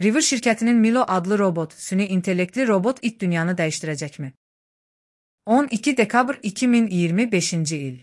River şirkətinin Milo adlı robot, süni intellektli robot it dünyanı dəyişdirəcəkmi? 12 dekabr 2025-ci il.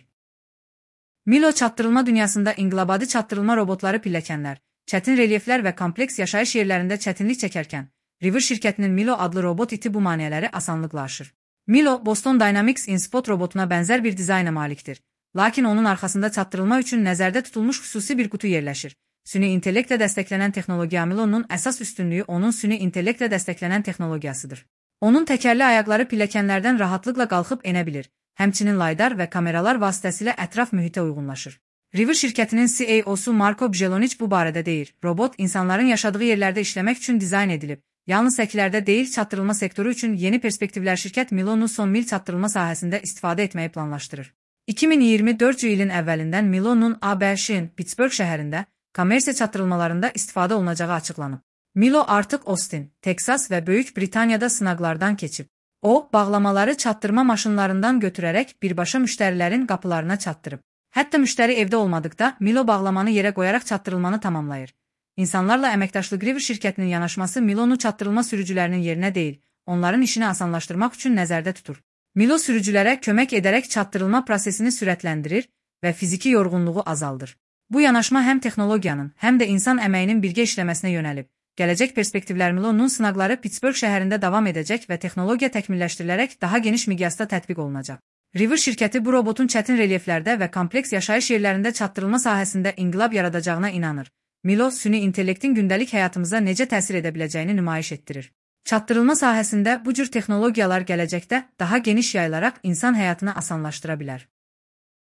Milo çatdırılma dünyasında inqilabadi çatdırılma robotları pilləkənlər, çətin relyeflər və kompleks yaşayış yerlərində çətinlik çəkərkən, River şirkətinin Milo adlı robot iti bu maneələri asanlıqla aşır. Milo, Boston Dynamics InSpot robotuna bənzər bir dizayna malikdir. Lakin onun arxasında çatdırılma üçün nəzərdə tutulmuş xüsusi bir qutu yerləşir. Süni intellektlə dəstəklənən texnologiya Milo'nun əsas üstünlüyü onun süni intellektlə dəstəklənən texnologiyasıdır. Onun təkərli ayaqları pilləkənlərdən rahatlıqla qalxıb enə bilir. Həmçinin laydar və kameralar vasitəsilə ətraf mühitə uyğunlaşır. River şirkətinin CEO-su Marko Bjelonic bu barədə deyir. Robot insanların yaşadığı yerlərdə işləmək üçün dizayn edilib. Yalnız səkilərdə deyil, çatdırılma sektoru üçün yeni perspektivlər şirkət Milo'nu son mil çatdırılma sahəsində istifadə etməyi planlaşdırır. 2024 ilin əvvəlindən Milo'nun ABŞ-in Pittsburgh şəhərində kommersiya çatdırılmalarında istifadə olunacağı açıqlanıb. Milo artıq Austin, Texas və Böyük Britaniyada sınaqlardan keçib. O, bağlamaları çatdırma maşınlarından götürərək birbaşa müştərilərin qapılarına çatdırıb. Hətta müştəri evdə olmadıqda Milo bağlamanı yerə qoyaraq çatdırılmanı tamamlayır. İnsanlarla əməkdaşlıq River şirkətinin yanaşması Milo'nu çatdırılma sürücülərinin yerinə deyil, onların işini asanlaşdırmaq üçün nəzərdə tutur. Milo sürücülərə kömək edərək çatdırılma prosesini sürətləndirir və fiziki yorğunluğu azaldır. Bu yanaşma həm texnologiyanın, həm də insan əməyinin birgə işləməsinə yönəlib. Gələcək perspektivlər Milo'nun sınaqları Pittsburgh şəhərində davam edəcək və texnologiya təkmilləşdirilərək daha geniş miqyasda tətbiq olunacaq. River şirkəti bu robotun çətin relyeflərdə və kompleks yaşayış yerlərində çatdırılma sahəsində inqilab yaradacağına inanır. Milo, süni intellektin gündəlik həyatımıza necə təsir edə biləcəyini nümayiş etdirir. Çatdırılma sahəsində bu cür texnologiyalar gələcəkdə daha geniş yayılaraq insan həyatını asanlaşdıra bilər.